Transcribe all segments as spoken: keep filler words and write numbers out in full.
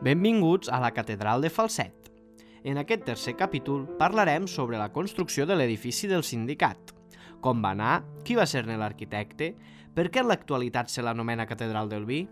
Benvinguts a la Catedral de Falset. En aquest tercer capítol parlarem sobre la construcció de l'edifici del sindicat, com va anar, qui va ser-ne l'arquitecte, per què en l'actualitat se l'anomena Catedral del Vi.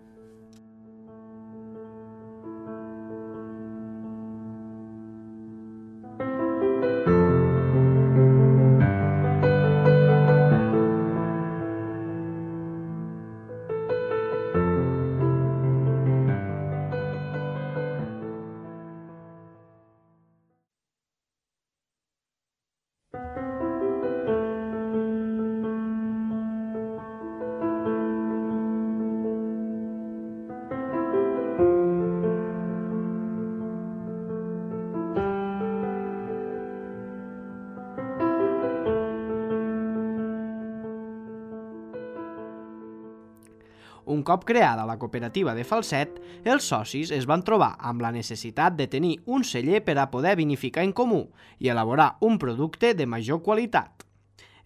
Un cop creada la cooperativa de Falset, els socis es van trobar amb la necessitat de tenir un celler per a poder vinificar en comú i elaborar un producte de major qualitat.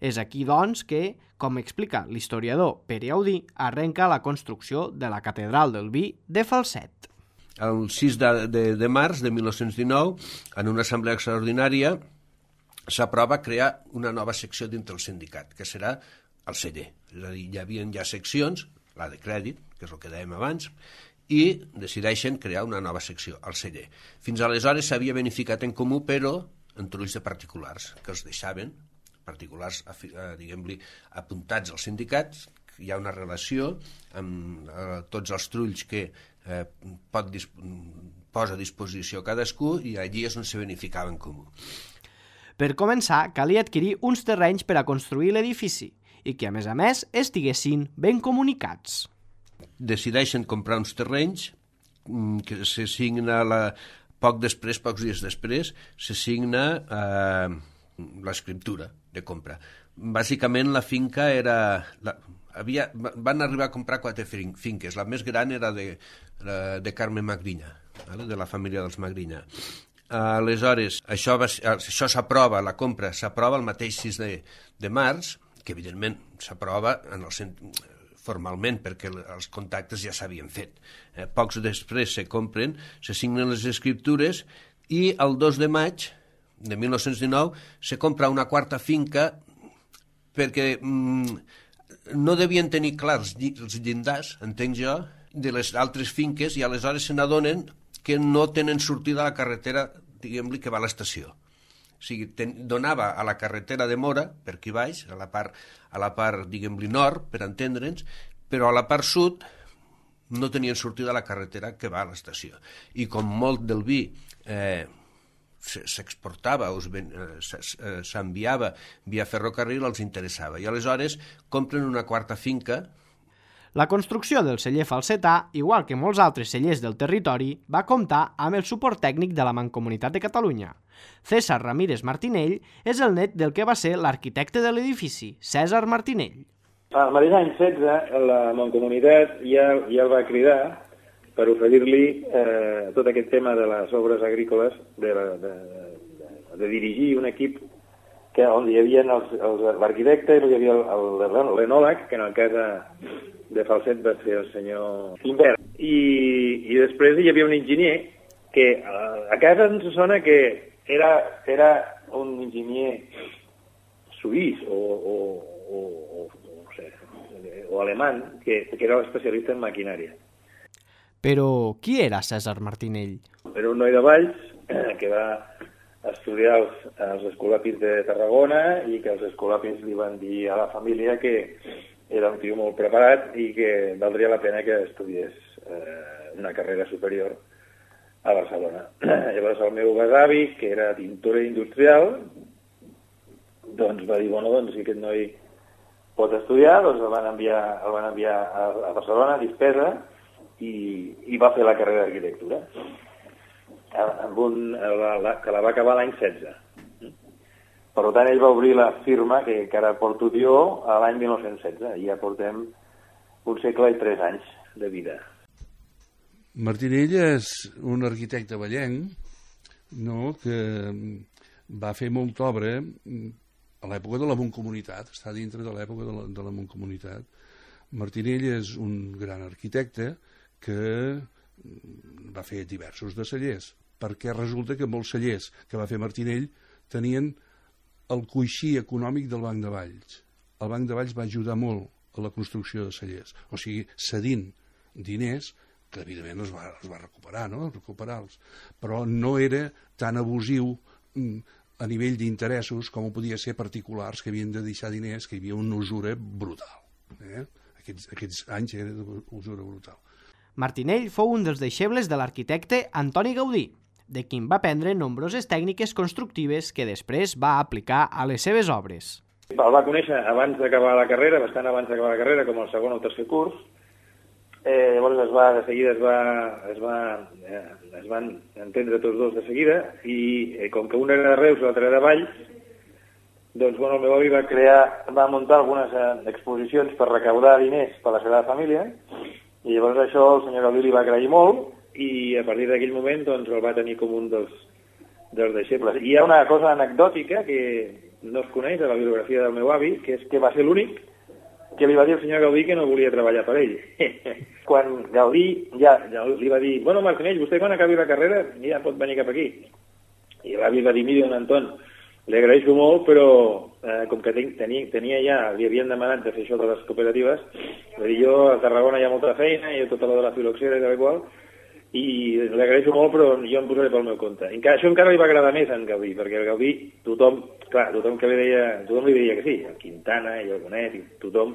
És aquí, doncs, que, com explica l'historiador Pere Audí, arrenca la construcció de la Catedral del Vi de Falset. El sis de, de, de març de mil nou-cents dinou, en una assemblea extraordinària, s'aprova crear una nova secció dintre el sindicat, que serà el celler. És a dir, hi havia ja seccions, la de crèdit, que és el que dèiem abans, i decideixen crear una nova secció, el celler. Fins aleshores s'havia beneficiat en comú, però en trulls de particulars, que els deixaven, particulars, diguem-li, apuntats als sindicats. Hi ha una relació amb eh, tots els trulls que eh, pot posa a disposició cadascú, i allí és on se beneficiava en comú. Per començar, calia adquirir uns terrenys per a construir l'edifici, i que, a més a més, estiguessin ben comunicats. Decideixen comprar uns terrenys que se signa la... poc després, pocs dies després, se signa eh, l'escriptura de compra. Bàsicament la finca era... La... Havia... Van arribar a comprar quatre finques. La més gran era de, de Carme Magrinya, de la família dels Magrinya. Aleshores, això, va... això s'aprova, la compra s'aprova el mateix sis de, de març, que evidentment s'aprova en el cent... formalment perquè els contactes ja s'havien fet. Eh, pocs després se compren, se signen les escriptures i el dos de maig de mil nou-cents dinou se compra una quarta finca perquè mm, no devien tenir clars els llindars, entenc jo, de les altres finques, i aleshores se n'adonen que no tenen sortida a la carretera, diguem-li, que va a l'estació. O sigui, ten, donava a la carretera de Mora, per aquí baix, a la part, a la part diguem-li, nord, per entendre'ns, però a la part sud no tenien sortida a la carretera que va a l'estació. I com molt del vi eh, s'exportava o s'enviava via ferrocarril, els interessava. I aleshores compren una quarta finca. La construcció del celler falsetà, igual que molts altres cellers del territori, va comptar amb el suport tècnic de la Mancomunitat de Catalunya. César Ramírez Martinell és el net del que va ser l'arquitecte de l'edifici, Cèsar Martinell. Al mateix any setze, la Mancomunitat ja, ja el va cridar per oferir-li eh, tot aquest tema de les obres agrícoles, de, de, de, de dirigir un equip que, on hi havia l'arquitecte i hi havia l'enòleg, que en el cas de, de Falset va ser el senyor Imbert. I, I després hi havia un enginyer que a, a casa ens sona que era, era un enginyer suís o, o, o, o, no sé, o alemany, que, que era especialista en maquinària. Però qui era Cèsar Martinell? Era un noi de Valls que va estudiar els, els escolapis de Tarragona i que els escolapis li van dir a la família que era un tio molt preparat i que valdria la pena que estudiés eh, una carrera superior a Barcelona. Llavors el meu besavi, que era tintor industrial, doncs va dir, bueno, doncs si aquest noi pot estudiar, doncs el van enviar, el van enviar a, a Barcelona, a Dispesa, i, i va fer la carrera d'arquitectura, amb un, la, la, que la va acabar l'any setze. Per tant, ell va obrir la firma que, que ara porto jo a l'any mil nou-cents setze, i ja portem un segle i tres anys de vida. Martinell és un arquitecte vallenc, no?, que va fer molta obra a l'època de la Mancomunitat, està dintre de l'època de la, de la Mancomunitat. Martinell és un gran arquitecte que va fer diversos de cellers, perquè resulta que molts cellers que va fer Martinell tenien el coixí econòmic del Banc de Valls. El Banc de Valls va ajudar molt a la construcció de cellers, o sigui, cedint diners, que evidentment es va, es va recuperar, no?, recuperar-los, però no era tan abusiu a nivell d'interessos com ho podia ser particulars que havien de deixar diners, que hi havia una usura brutal. Eh? Aquests, aquests anys era d'usura brutal. Martinell fou un dels deixebles de l'arquitecte Antoni Gaudí, de qui va aprendre nombroses tècniques constructives que després va aplicar a les seves obres. El va conèixer abans d'acabar la carrera, bastant abans d'acabar la carrera, com el segon o el tercer curs. Eh, llavors es va, de seguida es, va, es, va, eh, es van entendre tots dos de seguida, i eh, com que un era de Reus i l'altre era de Valls, doncs bueno, el meu avi va crear, va muntar algunes eh, exposicions per recaudar diners per a la seva família, i llavors això el senyor Gaudí li va agrair molt, i a partir d'aquell moment doncs, el va tenir com un dels, dels deixebles. I hi ha una cosa anecdòtica que no es coneix de la biografia del meu avi, que és que va ser l'únic que li va dir al senyor Gaudí que no volia treballar per ell. Quan Gaudí ja, ja li va dir, bueno, Martinell, vostè quan acabi la carrera ja pot venir cap aquí. I l'avi va dir, mira, don Anton, li agraeixo molt, però eh, com que ten, tenia, tenia ja, li havien demanat de fer això de les cooperatives, va dir, jo a Tarragona hi ha molta feina, i tot allò de la filoxera i tal i qual, i li agraeixo molt, però jo em posaré pel meu compte. I encara, això encara li va agradar més a en Gaudí, perquè el Gaudí, tothom, clar, tothom que li deia, tothom li deia que sí, el Quintana i el Bonet, i tothom,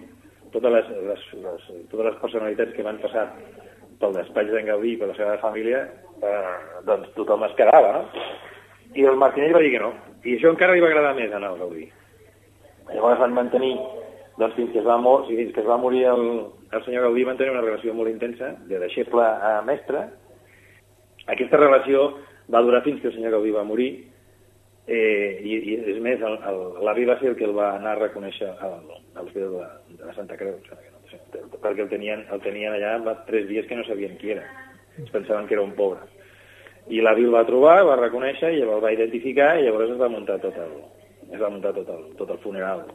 totes les, les, les, totes les personalitats que van passar pel despatx d'en Gaudí i per la seva família, eh, doncs tothom es quedava, no? I el Martinell va dir que no, i això encara li va agradar més a el Gaudí. Llavors van mantenir, doncs fins que es va, mor, fins que es va morir el, el senyor Gaudí, van tenir una relació molt intensa, de deixeble a mestre. Aquesta relació va durar fins que el senyor Gaudí va morir, eh, i, i és més, l'avi va ser el que el va anar a reconèixer a l'Hospital de, de la Santa Creu, perquè el tenien, el tenien allà va tres dies que no sabien qui era, es pensaven que era un pobre. I l'avi el va trobar, el va reconèixer, i el va identificar, i llavors es va muntar tot el, es va muntar tot el, tot el funeral.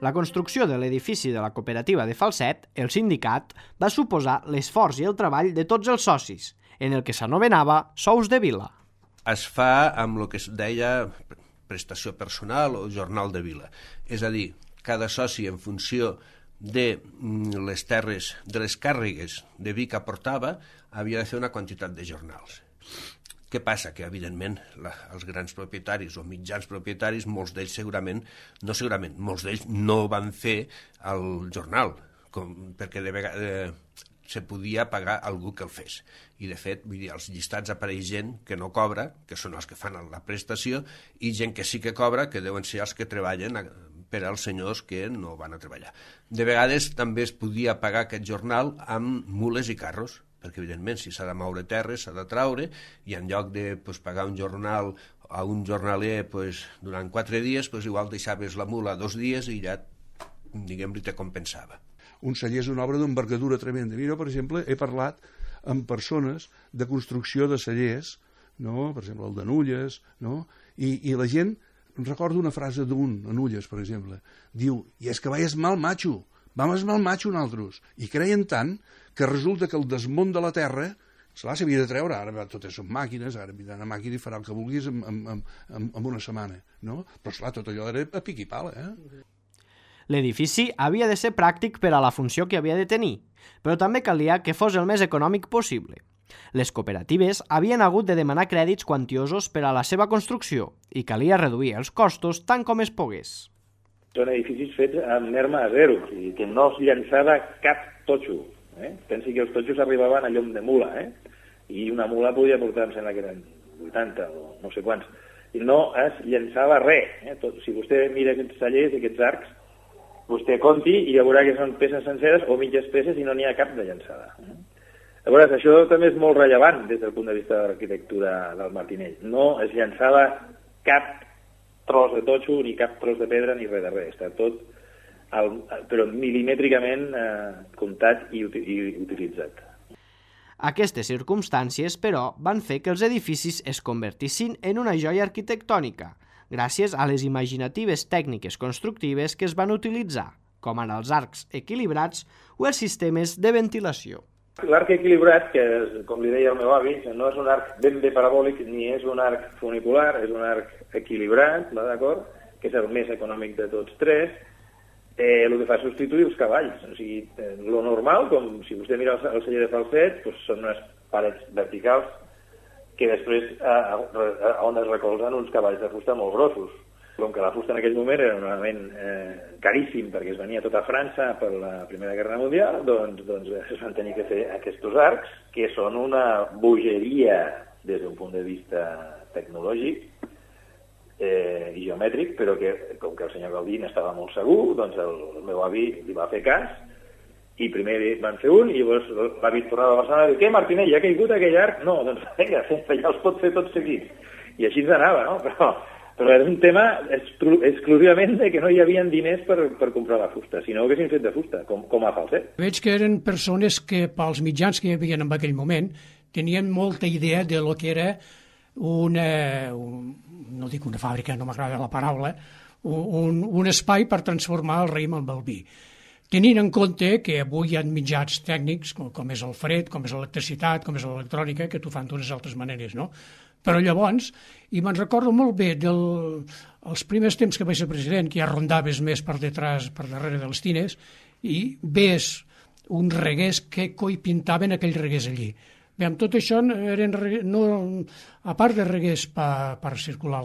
La construcció de l'edifici de la cooperativa de Falset, el sindicat, va suposar l'esforç i el treball de tots els socis, en el que s'anomenava sous de vila. Es fa amb el que es deia prestació personal o jornal de vila. És a dir, cada soci en funció de les terres, de les càrregues de vi que aportava, havia de fer una quantitat de jornals. Què passa? Que, evidentment, la, els grans propietaris o mitjans propietaris, molts d'ells segurament, no segurament, molts d'ells no van fer el jornal, com, perquè de vegades eh, se podia pagar algú que el fes. I, de fet, vull dir, als llistats apareix gent que no cobra, que són els que fan la prestació, i gent que sí que cobra, que deuen ser els que treballen per als senyors que no van a treballar. De vegades també es podia pagar aquest jornal amb mules i carros, perquè, evidentment, si s'ha de moure terres, s'ha de traure, i en lloc de pues, pagar un jornal a un jornaler pues, durant quatre dies, pues, igual deixaves la mula dos dies i ja, diguem-li, te compensava. Un celler és una obra d'envergadura tremenda. Mira, per exemple, he parlat amb persones de construcció de cellers, no? Per exemple, el de Nulles, no? I, i la gent, recordo una frase d'un, a Nulles, per exemple, diu, i és que vaies mal macho, vam esmal macho nosaltres, i creien tant que resulta que el desmunt de la terra, esclar, s'havia de treure, ara totes són màquines, ara vindrà una màquina i farà el que vulguis en, en, en, en una setmana, no? Però esclar, tot allò era a pic i pala, eh? L'edifici havia de ser pràctic per a la funció que havia de tenir, però també calia que fos el més econòmic possible. Les cooperatives havien hagut de demanar crèdits quantiosos per a la seva construcció i calia reduir els costos tant com es pogués. Són edificis fets amb nerma a zero, o sigui, que no es llançava cap totxo. Eh? Pensi que els totxos arribaven a llom de mula, eh? I una mula podia portar, em sembla que eren vuitanta o no sé quants. I no es llançava res. Eh? Tot, si vostè mira aquests cellers, aquests arcs, vostè conti i ja veurà que són peces senceres o mitges peces i no n'hi ha cap de llançada. Eh? Llavors, això també és molt rellevant des del punt de vista de l'arquitectura del Martinell. No es llançava cap tros de totxo, ni cap tros de pedra, ni res de res. Està tot, el, però milimètricament eh, comptat i, i utilitzat. Aquestes circumstàncies, però, van fer que els edificis es convertissin en una joia arquitectònica, gràcies a les imaginatives tècniques constructives que es van utilitzar, com ara els arcs equilibrats o els sistemes de ventilació. L'arc equilibrat, que és, com li deia el meu avi, no és un arc ben bé parabòlic ni és un arc funicular, és un arc equilibrat, d'acord? Que és el més econòmic de tots tres. Eh, el que fa és substituir els cavalls. O sigui, eh, lo normal, com si vostè mira el, el celler de falset, doncs són unes parets verticals que després a, a, a on es recolzen uns cavalls de fusta molt grossos. Com que la fusta en aquell moment era un element eh, caríssim perquè es venia tota França per la Primera Guerra Mundial, doncs, doncs es van tenir que fer aquests arcs, que són una bogeria des d'un punt de vista tecnològic eh, i geomètric, però que, com que el senyor Gaudí n'estava molt segur, doncs el, el meu avi li va fer cas, i primer van fer un, i llavors l'avi tornava a Barcelona i diu, què, Martinell, ja ha caigut aquell arc? No, doncs vinga, ja els pot fer tots seguits. I així ens anava, no? Però... Però era un tema exclusivament de que no hi havia diners per, per comprar la fusta, si no ho haguessin fet de fusta, com, com a falset. Veig que eren persones que, pels mitjans que hi havia en aquell moment, tenien molta idea de lo que era una, un, no dic una fàbrica, no m'agrada la paraula, un, un espai per transformar el raïm en el vi. Tenint en compte que avui hi ha mitjans tècnics, com, com és el fred, com és l'electricitat, com és l'electrònica, que t'ho fan d'unes altres maneres, no? Però llavors, i me'n recordo molt bé dels primers temps que vaig ser president, que ja rondaves més per detrás, per darrere de les tines, i ves uns reguers que coi pintaven aquells reguers allí. Bé, amb tot això, eren, no, a part de reguers per, per circular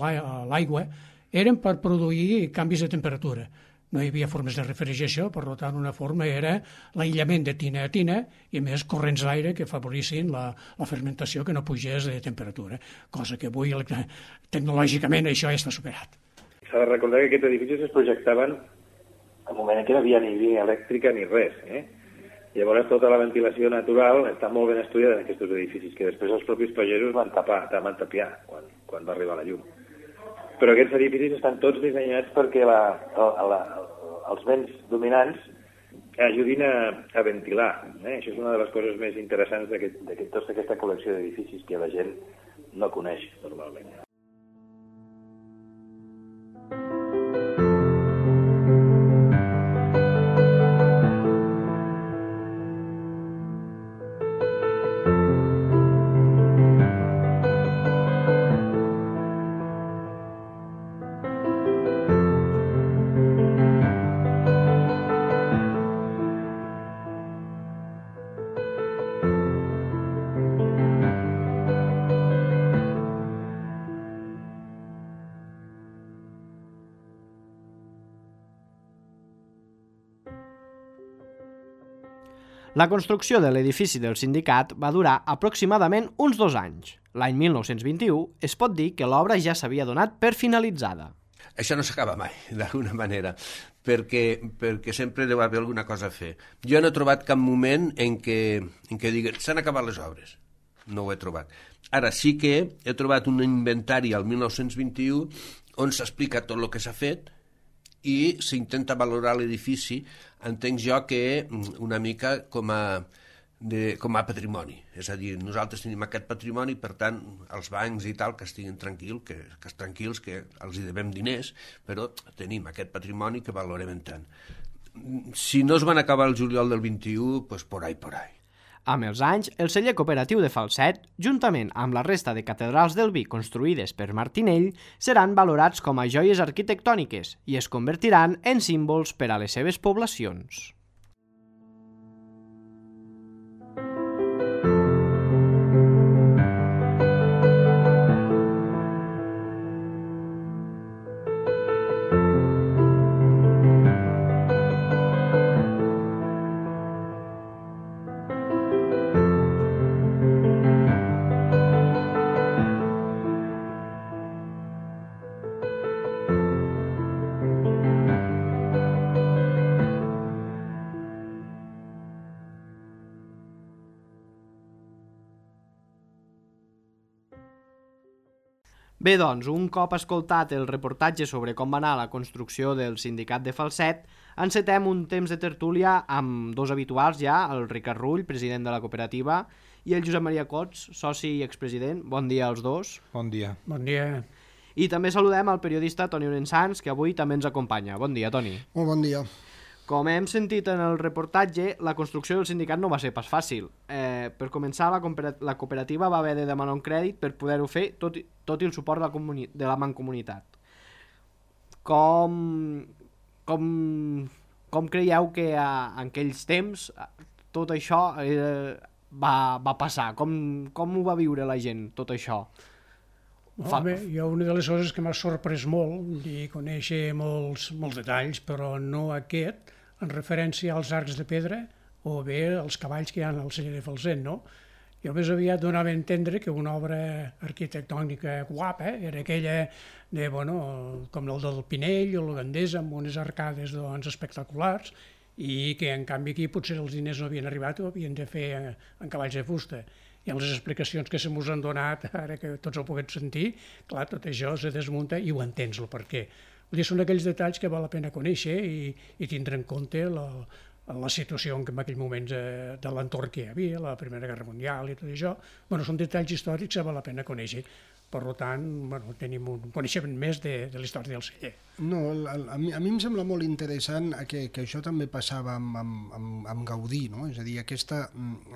l'aigua, eren per produir canvis de temperatura. No hi havia formes de refrigeració, per tant, una forma era l'aïllament de tina a tina i, a més, corrents d'aire que afavorissin la, la fermentació que no pugés de temperatura, cosa que avui, tecnològicament, això ja està superat. S'ha de recordar que aquests edificis es projectaven en un moment en què no hi havia ni línia elèctrica ni res. Eh? Llavors, tota la ventilació natural està molt ben estudiada en aquests edificis, que després els propis pagesos van tapar, van tapiar quan, quan va arribar la llum. Però aquests edificis estan tots dissenyats perquè la, la, la, els vents dominants ajudin a, a ventilar. Eh? Això és una de les coses més interessants de tota aquesta col·lecció d'edificis que la gent no coneix normalment. La construcció de l'edifici del sindicat va durar aproximadament uns dos anys. L'any mil nou-cents vint-i-u es pot dir que l'obra ja s'havia donat per finalitzada. Això no s'acaba mai, d'alguna manera, perquè, perquè sempre deu haver alguna cosa a fer. Jo no he trobat cap moment en què, en què diguen s'han acabat les obres. No ho he trobat. Ara sí que he trobat un inventari al mil nou-cents vint-i-u on s'explica tot el que s'ha fet i s'intenta valorar l'edifici, entenc jo que una mica com a, de, com a patrimoni. És a dir, nosaltres tenim aquest patrimoni, per tant, els bancs i tal, que estiguin tranquils, que, que tranquils, que els hi devem diners, però tenim aquest patrimoni que valorem tant. Si no es van acabar el juliol del vint-i-u, doncs por ahí, por ahí. Amb els anys, el celler cooperatiu de Falset, juntament amb la resta de catedrals del vi construïdes per Martinell, seran valorats com a joies arquitectòniques i es convertiran en símbols per a les seves poblacions. Bé, doncs, un cop escoltat el reportatge sobre com va anar la construcció del sindicat de Falset, encetem un temps de tertúlia amb dos habituals ja, el Ricard Rull, president de la cooperativa, i el Josep Maria Cots, soci i expresident. Bon dia als dos. Bon dia. Bon dia. I també saludem el periodista Toni Orensans, que avui també ens acompanya. Bon dia, Toni. Molt bon dia. Com hem sentit en el reportatge, la construcció del sindicat no va ser pas fàcil. Eh, per començar, la, la cooperativa va haver de demanar un crèdit per poder-ho fer, tot, tot i el suport de la, de la mancomunitat. Com, com, com creieu que a, en aquells temps tot això eh, va, va passar? Com, com ho va viure la gent, tot això? Home, jo una de les coses que m'ha sorprès molt i conèixer molts, molts detalls, però no aquest, en referència als arcs de pedra o bé els cavalls que hi ha al celler de Falset, no? Jo més aviat donava a entendre que una obra arquitectònica guapa era aquella de, bueno, com el del Pinell o la Gandesa, amb unes arcades doncs, espectaculars, i que en canvi aquí potser els diners no havien arribat o havien de fer en cavalls de fusta. I en les explicacions que se mos han donat, ara que tots ho puguem sentir, clar, tot això se desmunta i ho entens el per què. Vull dir, són aquells detalls que val la pena conèixer i, i tindre en compte la, la situació en, en aquell moment de, de l'entorn que hi havia, la Primera Guerra Mundial i tot això. Bueno, són detalls històrics que val la pena conèixer. Per tant, bueno, tenim un coneixement més de, de la història del celler. No, a, a, mi, a mi em sembla molt interessant que, que això també passava amb, amb, amb, amb Gaudí, no? És a dir, aquesta,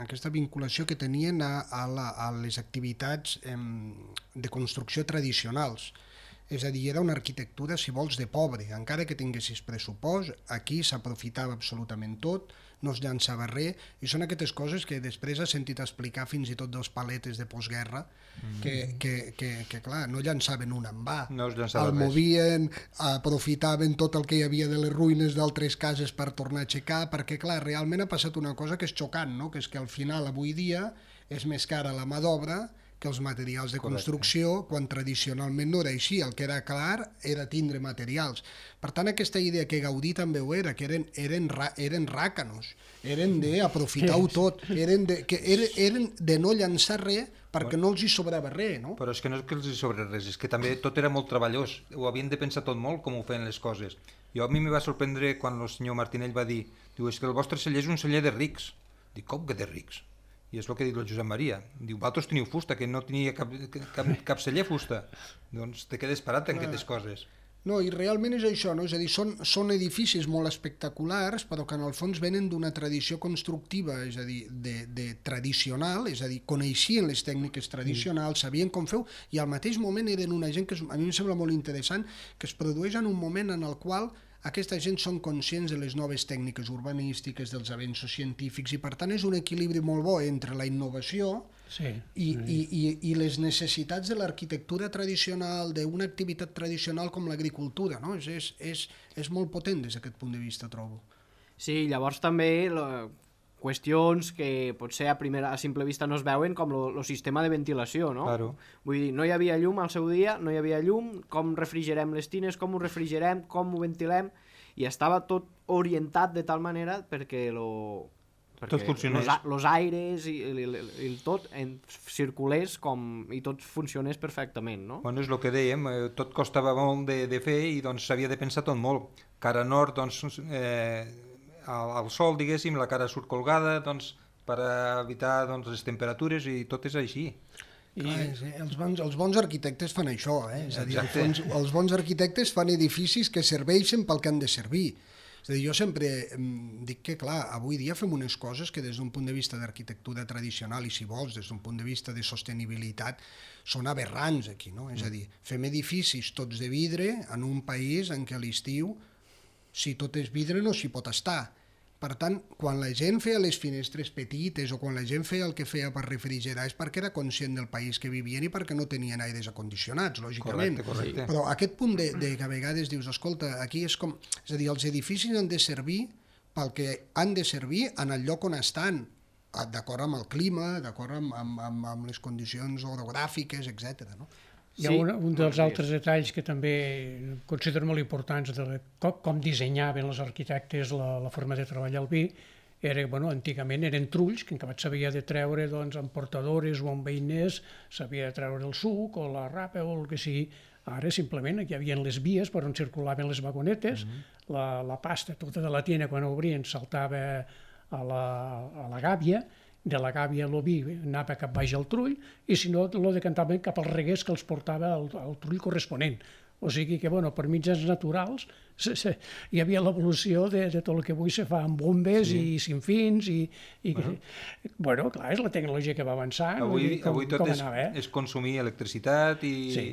aquesta vinculació que tenien a, a, la, a les activitats em, de construcció tradicionals. És a dir, era una arquitectura, si vols, de pobre. Encara que tinguessis pressupost, aquí s'aprofitava absolutament tot, no es llançava res, i són aquestes coses que després has sentit explicar fins i tot dels paletes de postguerra, mm. que, que, que, que clar, no llançaven un en va, no es llançava el res. movien, aprofitaven tot el que hi havia de les ruïnes d'altres cases per tornar a aixecar, perquè clar, realment ha passat una cosa que és xocant, no? Que és que al final avui dia és més cara la mà d'obra que els materials de construcció, correcte, quan tradicionalment no era així. El que era clar era tindre materials. Per tant, aquesta idea que Gaudí també ho era, que eren, eren, eren ràcanos, eren d'aprofitar-ho tot, eren de, que eren, eren de no llançar res perquè no els hi sobrava res, no? Però és que no és que els hi sobra res, és que també tot era molt treballós, ho havien de pensar tot molt com ho feien les coses. Jo a mi me va sorprendre quan el senyor Martinell va dir, diu, és que el vostre celler és un celler de rics. Dic, com que de rics? I és el que ha dit el Josep Maria. Diu, vosaltres teniu fusta, que no tenia cap, cap, cap celler fusta. Doncs te quedes parat en aquestes coses. No, i realment és això, no? És a dir, són, són edificis molt espectaculars, però que en el fons venen d'una tradició constructiva, és a dir, de, de tradicional, és a dir, coneixien les tècniques tradicionals, sabien com feu, i al mateix moment eren una gent que a mi em sembla molt interessant, que es produeix en un moment en el qual aquesta gent són conscients de les noves tècniques urbanístiques, dels avenços científics, i per tant és un equilibri molt bo entre la innovació sí, i, sí. I, i, i les necessitats de l'arquitectura tradicional, d'una activitat tradicional com l'agricultura, no? És, és, és, és molt potent des d'aquest punt de vista, trobo. Sí, llavors també la, qüestions que potser a, primera, a simple vista no es veuen, com el sistema de ventilació, no? Claro. Vull dir, no hi havia llum al seu dia, no hi havia llum, com refrigerem les tines, com ho refrigerem, com ho ventilem, i estava tot orientat de tal manera perquè lo... Tot funcionés. Los, los aires i, i, i, i tot en, circulés com, i tot funcionés perfectament, no? Bueno, és el que dèiem, eh, tot costava molt de, de fer i doncs s'havia de pensar tot molt. Cara nord, doncs, eh, al, al sol, diguéssim, la cara surt colgada, doncs, per evitar doncs, les temperatures, i tot és així. I... Clar, sí, els, bons, els bons arquitectes fan això, eh? És a dir, fons, els bons arquitectes fan edificis que serveixen pel que han de servir. És a dir, jo sempre dic que, clar, avui dia fem unes coses que des d'un punt de vista d'arquitectura tradicional i, si vols, des d'un punt de vista de sostenibilitat, són aberrants aquí, no? És a dir, fem edificis tots de vidre en un país en què a l'estiu, si tot és vidre, no s'hi pot estar. Per tant, quan la gent feia les finestres petites o quan la gent feia el que feia per refrigerar és perquè era conscient del país que vivien i perquè no tenien aires acondicionats, lògicament. Correcte, correcte. Però aquest punt de, de que a vegades dius, escolta, aquí és com... És a dir, els edificis han de servir pel que han de servir en el lloc on estan, d'acord amb el clima, d'acord amb, amb, amb, amb les condicions orogràfiques, etcètera, no? Hi ha un, un dels altres detalls que també considero molt importants de com, com dissenyaven els arquitectes la, la forma de treballar el vi, era, bueno, antigament eren trulls, que en acabat s'havia de treure doncs, amb portadores o amb veïners, s'havia de treure el suc o la rapa o el que sigui. Ara simplement aquí hi havia les vies per on circulaven les vagonetes, mm-hmm. la, la pasta tota de la tiena quan obrien saltava a la, a la gàbia, de la gàbia el vi anava cap baix al trull i si no lo decantaven cap als reguers que els portava al, al trull corresponent. O sigui que, bueno, per mitjans naturals se, se, hi havia l'evolució de, de tot el que avui se fa amb bombes sí. i sinfins i, i bueno. Que, bueno, clar, és la tecnologia que va avançar. Avui, com, avui tot com és, anava, eh? és consumir electricitat i sí.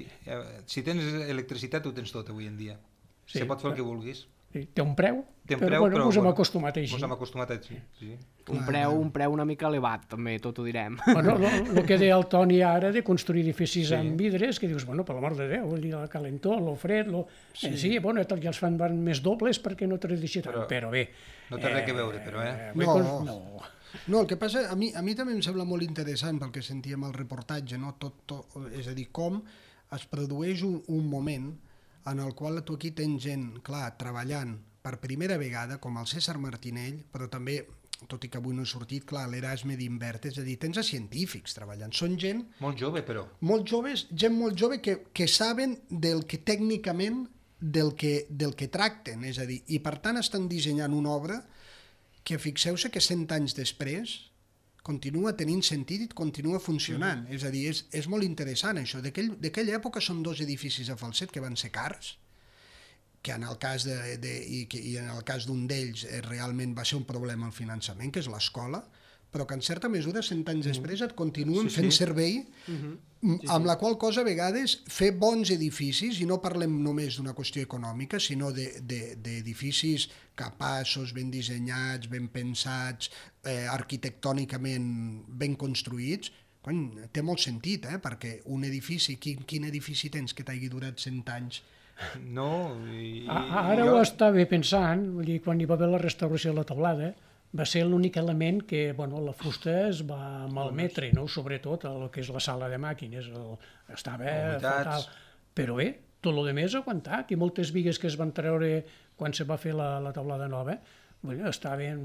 si tens electricitat ho tens tot avui en dia. Sí, se pot fer el que vulguis. Sí, té un preu, té un però, preu, bueno, però ens hem bueno, acostumat així. Ens hem acostumat així, sí. Un preu, un preu una mica elevat, també, tot ho direm. Bueno, el que deia el Toni ara de construir edificis sí. amb vidres, que dius, bueno, per l'amor de Déu, la calentor, lo fred, lo... Sí, eh, sí bueno, ja els fan més dobles perquè no te deixi tant, però, però bé... No té eh, res que veure, però, eh? No, no. No, el que passa, a mi, a mi també em sembla molt interessant pel que sentíem al reportatge, no? tot, tot, és a dir, com es produeix un, un moment en el qual tu aquí tens gent, clar, treballant per primera vegada, com el César Martinell, però també, tot i que avui no he sortit, clar, l'Erasme d'Invert, és a dir, tens a científics treballant, són gent... Molt jove, però. Molt joves, gent molt jove que, que saben del que tècnicament, del que, del que tracten, és a dir, i per tant estan dissenyant una obra que fixeu-se que cent anys després continua tenint sentit i continua funcionant, mm. és a dir, és, és molt interessant això, d'aquella època són dos edificis a Falset que van ser cars, que en el cas de, de, i, que, i en el cas d'un d'ells eh, realment va ser un problema el finançament, que és l'escola, però que en certa mesura, cent anys mm. després, et continuen sí, fent sí. servei, mm-hmm. sí, amb sí. la qual cosa a vegades fer bons edificis, i no parlem només d'una qüestió econòmica, sinó d'edificis de, de, capaços, ben dissenyats, ben pensats, eh, arquitectònicament ben construïts, quan, té molt sentit, eh? Perquè un edifici, quin, quin edifici tens que t'hagi durat cent anys? No, i, ara jo... ho estava pensant, vull dir, quan hi va haver la restauració de la teulada, va ser l'únic element que, bueno, la fusta es va malmetre, no? Sobretot el que és la sala de màquines, el, estava fatal. Però bé, tot el demés ha aguantat, i moltes bigues que es van treure quan se va fer la, la teulada nova, bueno, estaven,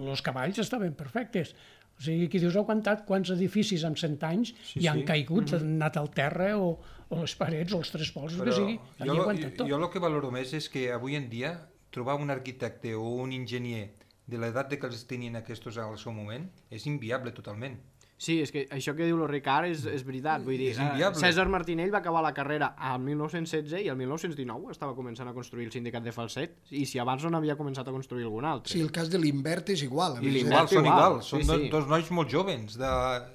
els cavalls estaven perfectes. O sigui, que dius, ha aguantat quants edificis en cent anys sí, i han sí. caigut, mm-hmm. han anat al terra o, o les parets o els tres pols, el que sigui, han aguantat tot. Jo el que valoro més és que avui en dia trobar un arquitecte o un enginyer de l'edat que els tenien aquests al seu moment és inviable totalment. Sí, és que això que diu el Ricard és, és veritat, vull dir, eh, César Martinell va acabar la carrera al mil nou-cents setze i al mil nou-cents dinou estava començant a construir el sindicat de Falset, i si abans no n'havia començat a construir algun altre. Sí, el cas de l'Invert és igual. I l'Invert són igual, són sí, dos, sí. dos nois molt joves de,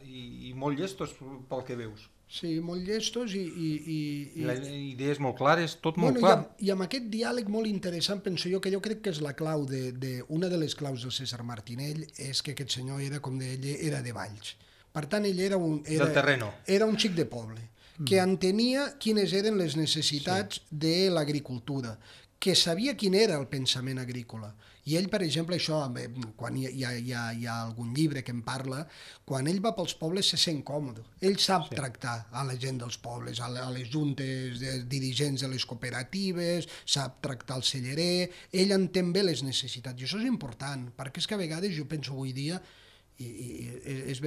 i, i molt llestos pel que veus. Sí, molt llestos i... i, i, i... Les idees molt clares, tot molt bueno, clar. I amb, I amb aquest diàleg molt interessant, penso jo, que jo crec que és la clau, de, de, una de les claus del César Martinell és que aquest senyor era, com deia ell, era de Valls. Per tant, ell era un, era, del terreno. Era un xic de poble, que entenia quines eren les necessitats sí. de l'agricultura, que sabia quin era el pensament agrícola. I ell, per exemple, això, quan hi ha, hi ha, hi ha algun llibre que en parla, quan ell va pels pobles se sent còmode. Ell sap sí. tractar a la gent dels pobles, a les juntes de dirigents de les cooperatives, sap tractar el cellerer, ell entén bé les necessitats, i això és important, perquè és que a vegades jo penso avui dia, i, i és,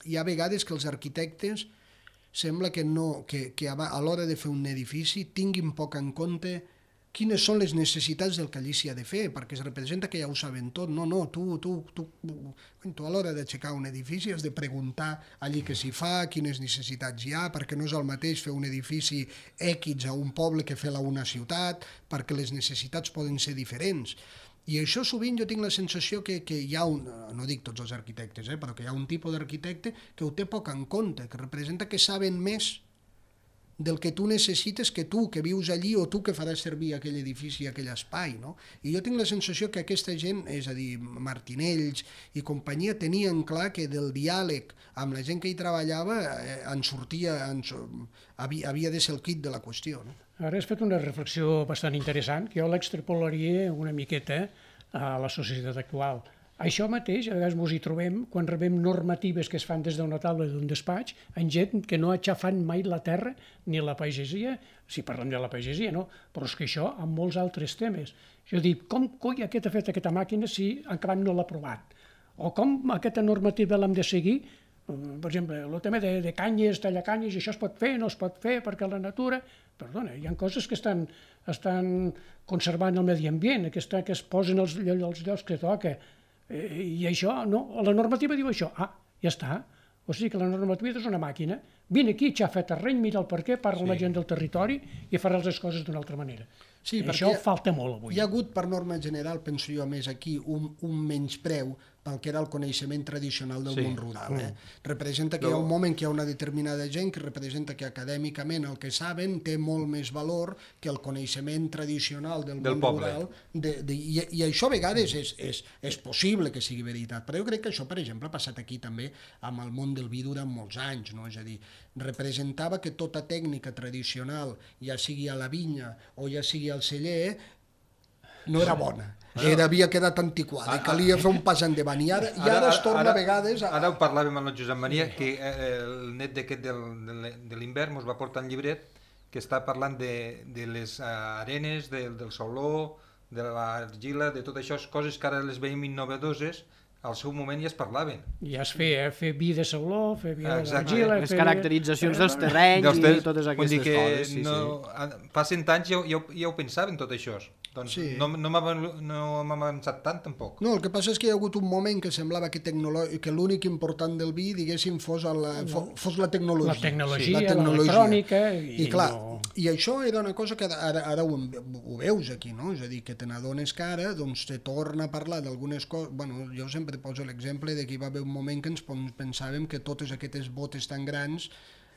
hi ha vegades que els arquitectes sembla que, no, que, que a l'hora de fer un edifici tinguin poc en compte quines són les necessitats del que allí s'hi ha de fer, perquè es representa que ja ho saben tot. No, no, tu, tu, tu, tu a l'hora d'aixecar un edifici has de preguntar allí què s'hi fa, quines necessitats hi ha, perquè no és el mateix fer un edifici X a un poble que fer-la a una ciutat, perquè les necessitats poden ser diferents. I això sovint jo tinc la sensació que, que hi ha un, no dic tots els arquitectes, eh, però que hi ha un tipus d'arquitecte que ho té poc en compte, que representa que saben més del que tu necessites que tu, que vius allí, o tu que faràs servir aquell edifici, aquell espai, no? I jo tinc la sensació que aquesta gent, és a dir, Martinells i companyia, tenien clar que del diàleg amb la gent que hi treballava eh, en sortia, en, havia, havia de ser el quid de la qüestió, no? Ara has fet una reflexió bastant interessant, que jo l'extrapolaria una miqueta a la societat actual. Això mateix, a vegades ens hi trobem quan rebem normatives que es fan des d'una taula d'un despatx en gent que no ha aixafat mai la terra ni la pagesia, si parlem de la pagesia, no? Però és que això amb molts altres temes. Jo dic, com coi aquest ha fet aquesta màquina si encara no l'ha provat? o com aquesta normativa l'hem de seguir. Per exemple, el tema de, de canyes, tallacanyes, i això es pot fer, no es pot fer, perquè la natura... Perdona, hi ha coses que estan, estan conservant el medi ambient, que, està, que es posen els, els llocs que toca, eh, i això, no, la normativa diu això, ah, ja està. O sigui que la normativa és una màquina, vine aquí, xafa terreny, mira el per què, parla amb la gent del territori i faràs les coses d'una altra manera. Sí, això falta molt avui. Hi ha hagut, per norma general, penso jo, més aquí, un, un menyspreu pel que era el coneixement tradicional del sí. món rural. Eh? Mm. Representa que no. hi ha un moment que hi ha una determinada gent que representa que acadèmicament el que saben té molt més valor que el coneixement tradicional del, del món poble. rural. De, de, i, I això a vegades és, és, és possible que sigui veritat, però jo crec que això, per exemple, ha passat aquí també amb el món del vi durant molts anys, no? És a dir, representava que tota tècnica tradicional, ja sigui a la vinya o ja sigui al celler, no era bona. Era, havia quedat antiquada, i calia fer un pas endavant. I ara, i ara es torna ara, a vegades... A... Ara ho parlàvem amb el Josep Maria, que el net d'aquest de l'hivern ens va portar un llibret que està parlant de, de les arenes, de, del sauló, de l'argila, de tot això, coses que ara les veiem innovadores, al seu moment ja es parlaven. Ja es feia, fer vi de sauló, fer vi d'argila... Les caracteritzacions dels terrenys i totes aquestes coses. Sí, no, sí. Fa cent anys ja, ja, ja ho pensaven tot això. Doncs sí. no, no m'ha avançat tant, tampoc. No, el que passa és que hi ha hagut un moment que semblava que, que l'únic important del vi, diguéssim, fos la, fos la tecnologia. La tecnologia, sí. l'electrònica... I, I clar, no... i això era una cosa que ara, ara ho, ho veus aquí, no? És a dir, que te n'adones que ara doncs, te torna a parlar d'algunes coses... Bueno, jo sempre poso l'exemple de que hi va haver un moment que ens pensàvem que totes aquestes botes tan grans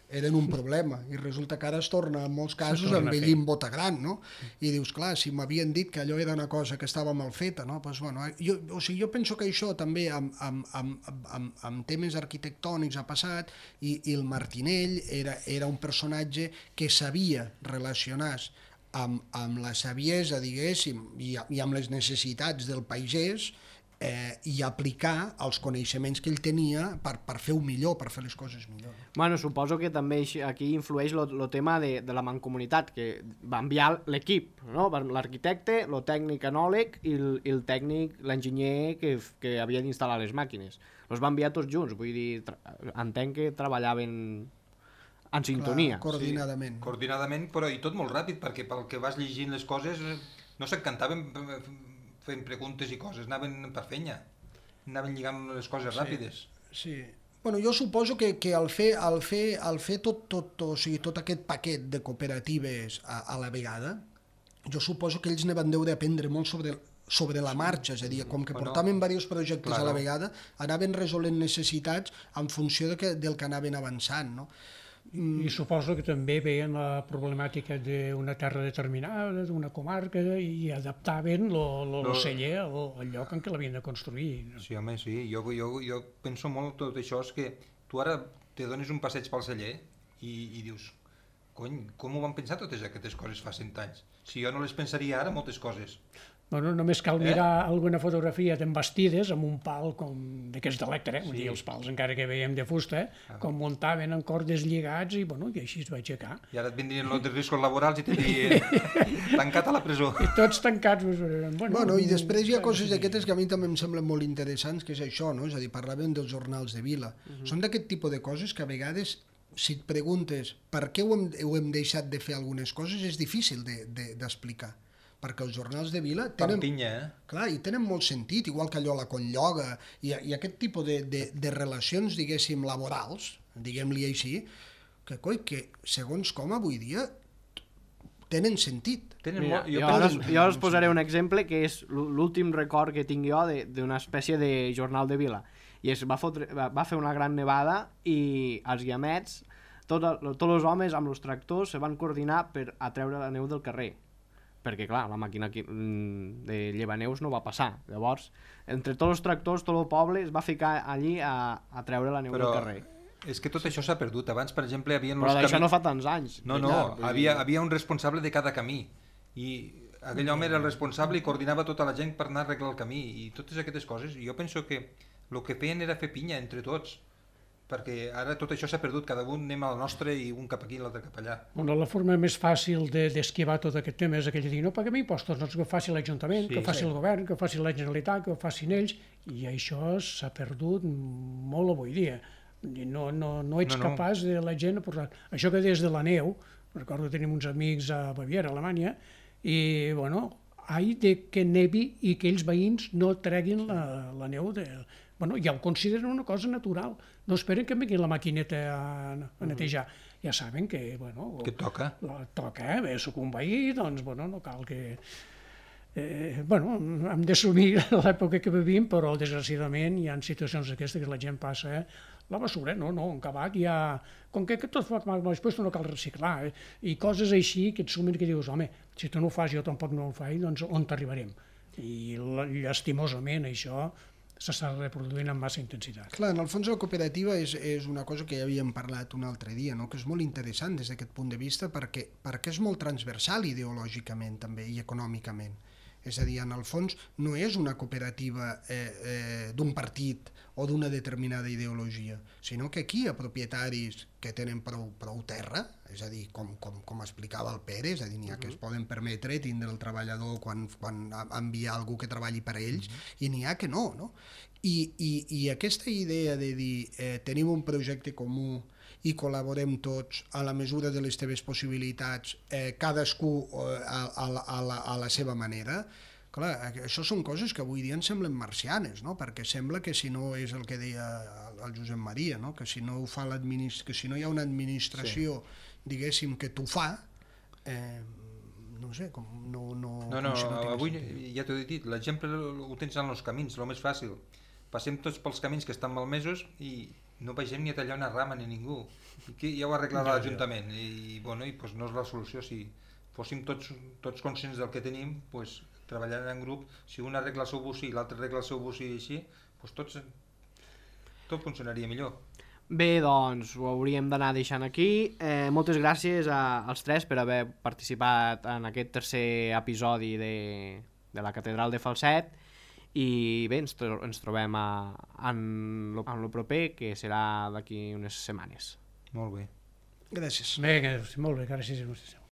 eren un problema, i resulta que ara es torna en molts casos a envellir amb bota gran, no? I dius, clar, si m'havien dit que allò era una cosa que estava mal feta, no? Pues, bueno, jo, o sigui, jo penso que això també amb, amb, amb, amb, amb temes arquitectònics ha passat, i, i el Martinell era, era un personatge que sabia relacionar-se amb, amb la saviesa, diguéssim, i, i amb les necessitats del pagès, Eh, i aplicar els coneixements que ell tenia per, per fer-ho millor, per fer les coses millor. Bueno, suposo que també aquí influeix el tema de, de la mancomunitat, que va enviar l'equip, no? L'arquitecte, el tècnic enòleg i el, i el tècnic, l'enginyer que, que havia d'instal·lar les màquines. Els va enviar tots junts, vull dir, entenc que treballaven en sintonia. Clar, coordinadament. Sí, coordinadament, però i tot molt ràpid, perquè pel que vas llegint les coses no s'encantaven fent preguntes i coses, anaven per fenya, anaven lligant les coses sí, ràpides. Sí. Bueno, jo suposo que, que al fer, al fer, al fer tot, tot, o sigui, tot aquest paquet de cooperatives a, a la vegada, jo suposo que ells ne van deure aprendre molt sobre, sobre la marxa, és a dir, com que bueno, portaven diversos projectes claro. a la vegada, anaven resolent necessitats en funció de que, del que anaven avançant, no? I suposo que també veien la problemàtica d'una terra determinada, d'una comarca, i adaptaven el celler al, al lloc en què l'havien de construir. Sí, home, sí. Jo, jo, jo penso molt tot això, és que tu ara te dones un passeig pel celler i, i dius, cony, com ho van pensar totes aquestes coses fa cent anys? Si jo no les pensaria ara, moltes coses. Bueno, només cal mirar eh? alguna fotografia d'embastides amb un pal com d'aquests d'electre, eh? Sí. Els pals encara que veiem de fusta, eh? ah. com muntaven en cordes lligats i, bueno, i així es va aixecar. I ara et vindrien els riscos laborals i t'havien tancat a la presó. I tots tancats. Bueno, bueno, i després hi ha coses d'aquestes que a mi també em semblen molt interessants, que és això, no? És a dir, parlàvem dels jornals de vila. Uh -huh. Són d'aquest tipus de coses que a vegades, si et preguntes per què ho hem, ho hem deixat de fer algunes coses, és difícil d'explicar. De, de, perquè els jornals de vila tenen, Pantinya, eh? clar, i tenen molt sentit, igual que allò la Conlloga, i, i aquest tipus de, de, de relacions, diguéssim, laborals, diguem-li així, que, coi, que segons com avui dia tenen sentit. Tenen Mira, molt, jo, jo, ara, jo us posaré un exemple que és l'últim record que tinc jo d'una espècie de jornal de vila, i es va, fotre, va fer una gran nevada i els guiamets, tots tot els homes amb els tractors se van coordinar per atreure la neu del carrer, perquè clar, la màquina de llevaneus no va passar. Llavors, entre tots els tractors, tot el poble es va ficar allí a, a treure la neu Però... del carrer. És que tot això s'ha perdut. Abans, per exemple, hi havia... Però d'això camí... no fa tants anys. No, no, llarg, havia, havia un responsable de cada camí. I aquell home era el responsable i coordinava tota la gent per anar a arreglar el camí. I totes aquestes coses. I jo penso que el que feien era fer pinya entre tots. perquè ara tot això s'ha perdut, cada un anem al nostre i un cap aquí i l'altre cap allà. Bueno, la forma més fàcil d'esquivar de, tot aquest tema és aquell de dir no paguem impostos, doncs que ho faci l'Ajuntament, sí, que ho faci sí. el govern, que ho faci la Generalitat, que ho facin ells, i això s'ha perdut molt avui dia. No, no, no ets no, no. capaç de la gent... Això que des de la neu, recordo que tenim uns amics a Baviera, a Alemanya, i, bueno, hai de que nevi i que ells veïns no treguin la, la neu de... Bueno, ja ho consideren una cosa natural. No esperen que vingui la maquineta a, a netejar. Ja saben que, bueno... Que toca. La, toca, eh? Bé, soc un veí, doncs, bueno, no cal que... Eh, bueno, hem d'assumir l'època que vivim, però desgraciadament hi ha situacions d'aquestes que la gent passa... Eh? La basura, no, no, un cabac ja... Com que, que tot fa mal després no cal reciclar, eh? I coses així que et sumen que dius, home, si tu no ho fas jo tampoc no ho faig, doncs on t'arribarem? I llastimosament això s'està reproduint amb massa intensitat. Clar, en el fons la cooperativa és, és una cosa que ja havíem parlat un altre dia, no? Que és molt interessant des d'aquest punt de vista perquè, perquè és molt transversal ideològicament també i econòmicament. És a dir, en el fons no és una cooperativa eh, eh, d'un partit o d'una determinada ideologia, sinó que aquí hi ha propietaris que tenen prou, prou terra, és a dir, com, com, com explicava el Pere, és a dir, n'hi ha que es poden permetre tindre el treballador quan, quan envia algú que treballi per a ells, i n'hi ha que no, no? I, i, i aquesta idea de dir eh, tenim un projecte comú i col·laborem tots a la mesura de les teves possibilitats, eh, cadascú eh, a, a, a, la, a la seva manera. Clar, això són coses que avui dia ens semblen marcianes, no? Perquè sembla que si no és el que deia el Josep Maria, no? Que si no ho fa l'administració, que si no hi ha una administració, sí. diguéssim, que t'ho fa, eh, no sé, com no... No, no, no, no avui sentit. Ja t'ho he dit, l'exemple ho tens en els camins, el més fàcil. Passem tots pels camins que estan malmesos i no vegem ni a tallar una rama ni ningú. I que ja ho ha arreglat ja, l'Ajuntament. Ja. I, bueno, i pues no és la solució. Si fóssim tots, tots conscients del que tenim, pues, treballant en grup, si un arregla el seu bocí i l'altre arregla el seu bocí i així, pues tots, tot funcionaria millor. Bé, doncs ho hauríem d'anar deixant aquí. Eh, moltes gràcies a, als tres per haver participat en aquest tercer episodi de, de la Catedral de Falset. I bé, ens, tro ens trobem a, en, lo, en lo proper, que serà d'aquí unes setmanes. Molt bé. Gràcies. Bé, molt bé, gràcies a vostè.